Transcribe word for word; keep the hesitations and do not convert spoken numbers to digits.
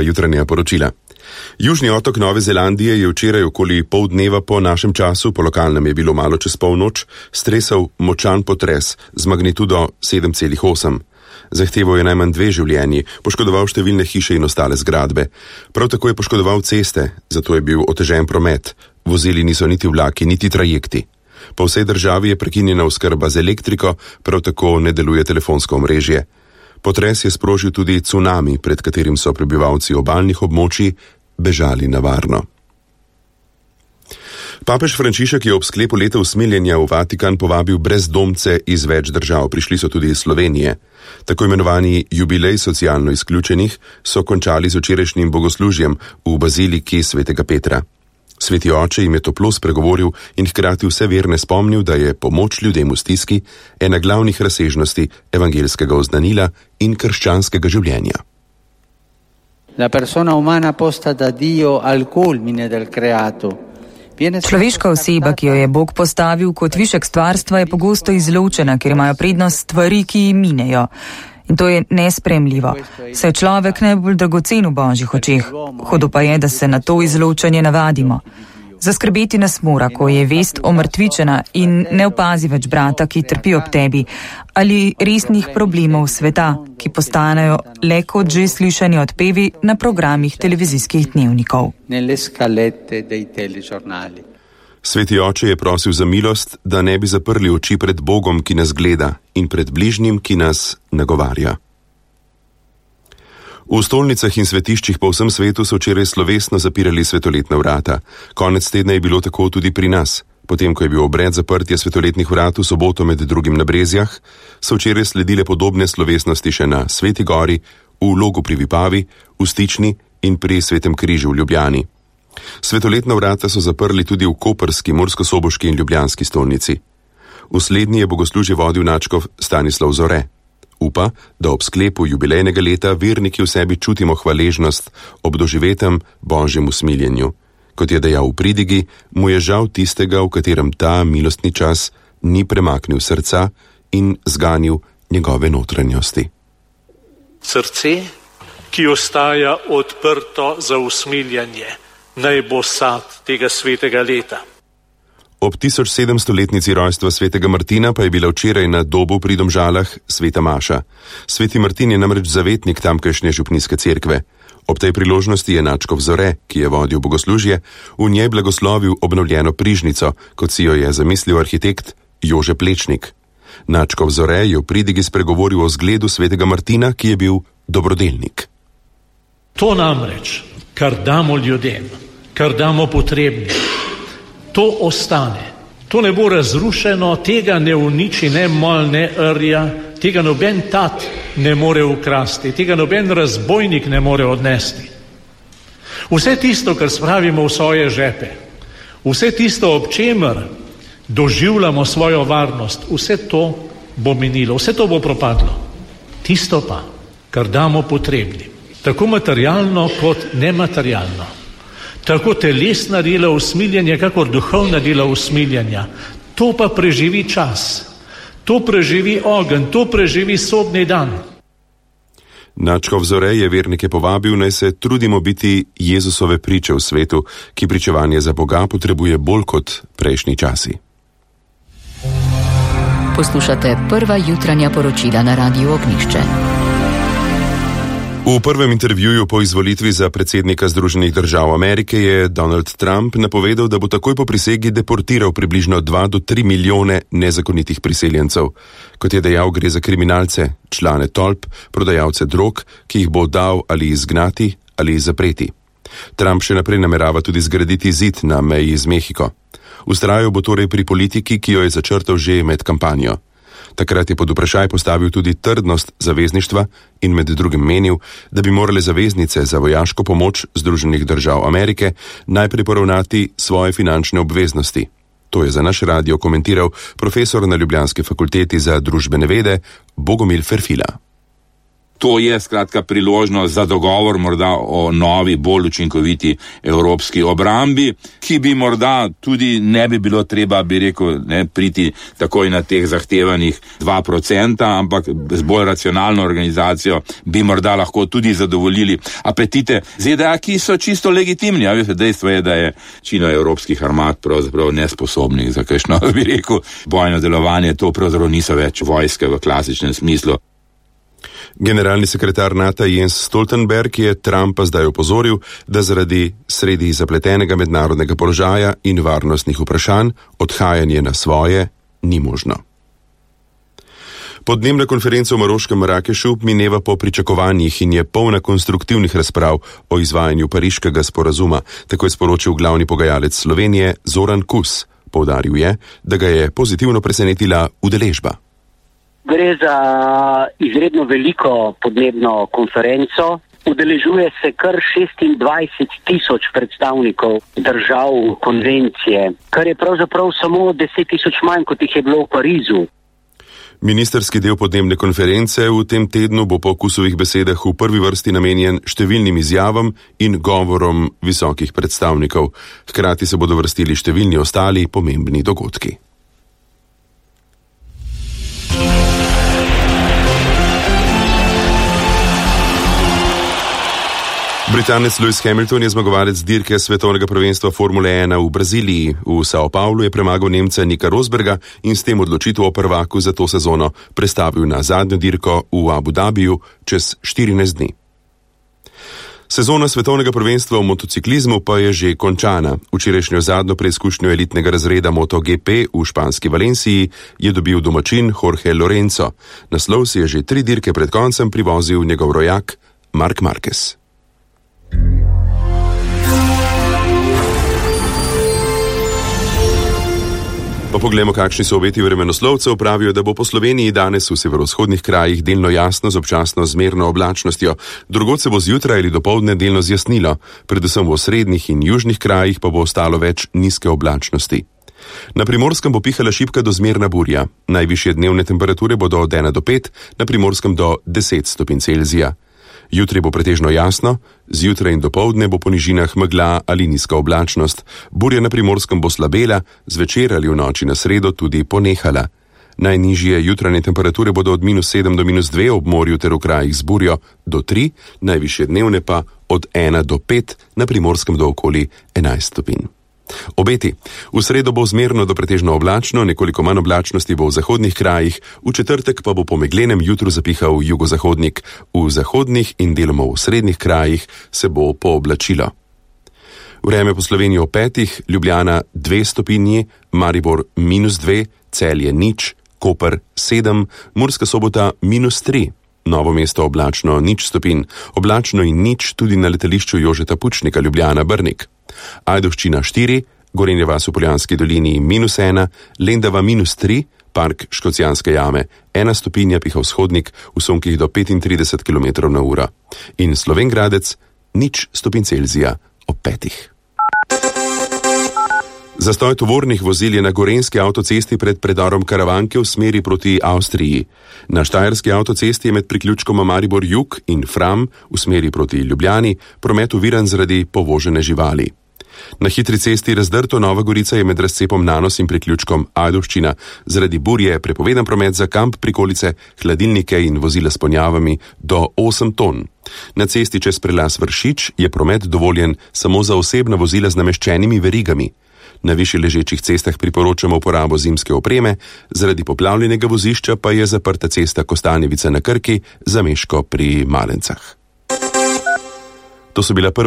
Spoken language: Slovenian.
Jutranja poročila. Južni otok Nove Zelandije je včeraj okoli pol dneva po našem času, po lokalnem je bilo malo čez polnoč, stresel močan potres z magnitudo sedem celih osem. Zahteval je najmanj dve življenji, poškodoval številne hiše in ostale zgradbe. Prav tako je poškodoval ceste, zato je bil otežen promet. Vozili niso niti vlaki, niti trajekti. Po vsej državi je prekinjena oskrba z elektriko, prav tako ne deluje telefonsko omrežje. Potres je sprožil tudi cunami, pred katerim so prebivalci obalnih območij bežali na varno. Papež Frančišek je ob sklepu leta usmiljenja v Vatikan povabil brezdomce iz več držav, prišli so tudi iz Slovenije. Tako imenovani jubilej socialno izključenih so končali z včerajšnjim bogoslužjem v baziliki svetega Petra. Sveti oče jim je toplo spregovoril in hkrati vse verne spomnil, da je pomoč ljudem v stiski ena glavnih razsežnosti evangeljskega oznanila in krščanskega življenja. La persona umana posta da Dio al culmine del creato. Človeška oseba, ki jo je Bog postavil kot višek stvarstva, je pogosto izločena, ker imajo prednost stvari, ki jim minejo. In to je nespremljivo. Saj je človek najbolj dragocen v Božjih očeh. Hudo pa je, da se na to izločanje navadimo. Zaskrbeti nas mora, ko je vest omrtvičena in ne opazi več brata, ki trpi ob tebi, ali resnih problemov sveta, ki postanejo le kot že slišani odpevi na programih televizijskih dnevnikov. Sveti oče je prosil za milost, da ne bi zaprli oči pred Bogom, ki nas gleda, in pred bližnjim, ki nas nagovarja. V stolnicah in svetiščih po vsem svetu so včeraj slovesno zapirali svetoletna vrata. Konec tedna je bilo tako tudi pri nas. Potem, ko je bil obred zaprtja svetoletnih vrat v soboto med drugim na Brezjah, so včeraj sledile podobne slovesnosti še na Sveti Gori, v Logu pri Vipavi, v Stični in pri Svetem križu v Ljubljani. Svetoletna vrata so zaprli tudi v koprski, murskosoboški in ljubljanski stolnici. V slednji je bogoslužje vodil nadškof Stanislav Zore. Upa, da ob sklepu jubilejnega leta verniki v sebi čutimo hvaležnost ob doživetem Božjem usmiljenju. Kot je dejal v pridigi, mu je žal tistega, v katerem ta milostni čas ni premaknil srca in zganil njegove notranjosti. Srce, ki ostaja odprto za usmiljenje, naj bo sad tega svetega leta. Ob tisoč sedemstoletnici rojstva svetega Martina pa je bila včeraj na Dobu pri Domžalah sveta maša. Sveti Martin je namreč zavetnik tamkajšnje župnijske cerkve. Ob tej priložnosti je nadškof Zore, ki je vodil bogoslužje, v njej blagoslovil obnovljeno prižnico, kot si jo je zamislil arhitekt Jože Plečnik. Nadškof Zore je v pridigi spregovoril o zgledu svetega Martina, ki je bil dobrodelnik. To namreč, kar damo ljudem, kar damo potrebnim, to ostane. To ne bo razrušeno, tega ne uniči ne mol, ne rja, tega noben tat ne more ukrasti, tega noben razbojnik ne more odnesti. Vse tisto, kar spravimo v svoje žepe, vse tisto, ob čemer doživljamo svojo varnost, vse to bo minilo, vse to bo propadlo. Tisto pa, kar damo potrebnim, tako materialno kot nematerialno, tako telesna dela usmiljenja, kakor duhovna dela usmiljenja. To pa preživi čas, to preživi ogenj, to preživi sodni dan. Nadškof Zore je vernike povabil, naj se trudimo biti Jezusove priče v svetu, ki pričevanje za Boga potrebuje bolj kot prejšnji časi. Poslušate prva jutranja poročila na Radiu Ognjišče. V prvem intervjuju po izvolitvi za predsednika Združenih držav Amerike je Donald Trump napovedal, da bo takoj po prisegi deportiral približno dva do tri milijone nezakonitih priseljencev. Kot je dejal, gre za kriminalce, člane tolp, prodajalce drog, ki jih bo dal ali izgnati ali zapreti. Trump še naprej namerava tudi zgraditi zid na meji z Mehiko. Vztrajal bo torej pri politiki, ki jo je začrtal že med kampanjo. Takrat je pod vprašaj postavil tudi trdnost zavezništva in med drugim menil, da bi morale zaveznice za vojaško pomoč Združenih držav Amerike najprej poravnati svoje finančne obveznosti. To je za naš radio komentiral profesor na Ljubljanski fakulteti za družbene vede Bogomil Ferfila. To je skratka priložnost za dogovor morda o novi, bolj učinkoviti evropski obrambi, ki bi morda tudi ne bi bilo treba, bi rekel, ne, priti takoj na teh zahtevanih dva procenta, ampak z bolj racionalno organizacijo bi morda lahko tudi zadovoljili apetite Z D A, ki so čisto legitimni. A veste, dejstvo je, da je večina evropskih armad pravzaprav nesposobnih za kakšno, bi rekel, bojno delovanje. To pravzaprav niso več vojske v klasičnem smislu. Generalni sekretar NATO Jens Stoltenberg je Trumpa zdaj opozoril, da zaradi sredi zapletenega mednarodnega položaja in varnostnih vprašanj odhajanje na svoje ni možno. Podnebna konferenca v maroškem Marakešu mineva po pričakovanjih in je polna konstruktivnih razprav o izvajanju pariškega sporazuma, tako je sporočil glavni pogajalec Slovenije Zoran Kus. Poudaril je, da ga je pozitivno presenetila udeležba. Gre za izredno veliko podnebno konferenco. Udeležuje se kar šestindvajset tisoč predstavnikov držav konvencije, kar je pravzaprav samo deset tisoč manj, kot jih je bilo v Parizu. Ministerski del podnebne konference v tem tednu bo po Kusovih besedah v prvi vrsti namenjen številnim izjavam in govorom visokih predstavnikov. Hkrati se bodo vrstili številni ostali pomembni dogodki. Britanec Lewis Hamilton je zmagovalec dirke svetovnega prvenstva Formule ena v Braziliji. V Sao Paulu je premagal Nemca Nika Rosberga in s tem odločitev o prvaku za to sezono prestavil na zadnjo dirko v Abu Dhabiju čez štirinajst dni. Sezona svetovnega prvenstva v motociklizmu pa je že končana. Včerajšnjo zadnjo preizkušnjo elitnega razreda MotoGP v španski Valenciji je dobil domačin Jorge Lorenzo. Naslov si je že tri dirke pred koncem privozil njegov rojak Marc Marquez. Pa poglejmo, kakšni so obeti vremenoslovcev. Pravijo, da bo po Sloveniji danes v severovzhodnih krajih delno jasno z občasno zmerno oblačnostjo. Drugod se bo zjutraj ali dopoldne delno zjasnilo, predvsem v osrednjih in južnih krajih pa bo ostalo več nizke oblačnosti. Na Primorskem bo pihala šibka do zmerna burja. Najvišje dnevne temperature bodo od ena do pet, na Primorskem do deset stopinj Celzija. Jutri bo pretežno jasno, zjutraj in dopoldne bo po nižinah megla ali nizka oblačnost. Burja na Primorskem bo slabela, zvečer ali v noči na sredo tudi ponehala. Najnižje jutranje temperature bodo od minus sedem do minus dve ob morju ter v krajih z burjo do tri, najvišje dnevne pa od ena do pet, na Primorskem do okoli enajst stopinj. Obeti. V sredo bo zmerno do pretežno oblačno, nekoliko manj oblačnosti bo v zahodnih krajih, v četrtek pa bo po meglenem jutru zapihal jugozahodnik. V zahodnih in deloma v srednjih krajih se bo pooblačilo. Vreme po Sloveniji o petih, Ljubljana dve stopinji, Maribor minus dve, Celje nič, Koper sedem, Murska Sobota minus tri. Novo Mesto oblačno nič stopinj, oblačno in nič tudi na letališču Jožeta Pučnika Ljubljana Brnik. Ajdovščina štiri, Gorenja vas v Poljanski dolini minus ena, Lendava minus tri, Park Škocjanske jame ena stopinja, piha vzhodnik v sunkih do petintrideset kilometrov na uro. In Slovenj Gradec nič stopinj Celzija ob petih. Zastoj tovornih vozil je na gorenjski avtocesti pred predorom Karavanke v smeri proti Avstriji. Na štajerski avtocesti je med priključkoma Maribor Jug in Fram v smeri proti Ljubljani promet oviran zaradi povožene živali. Na hitri cesti Razdrto Nova Gorica je med razcepom Nanos in priključkom Ajdovščina zaradi burje prepovedan promet za kamp, prikolice, hladilnike in vozila s ponjavami do osem ton. Na cesti čez prelaz Vršič je promet dovoljen samo za osebna vozila z nameščenimi verigami. Na višje ležečih cestah priporočamo uporabo zimske opreme, zaradi poplavljenega vozišča pa je zaprta cesta Kostanjevica na Krki za Meško pri Malencah. To so bila prva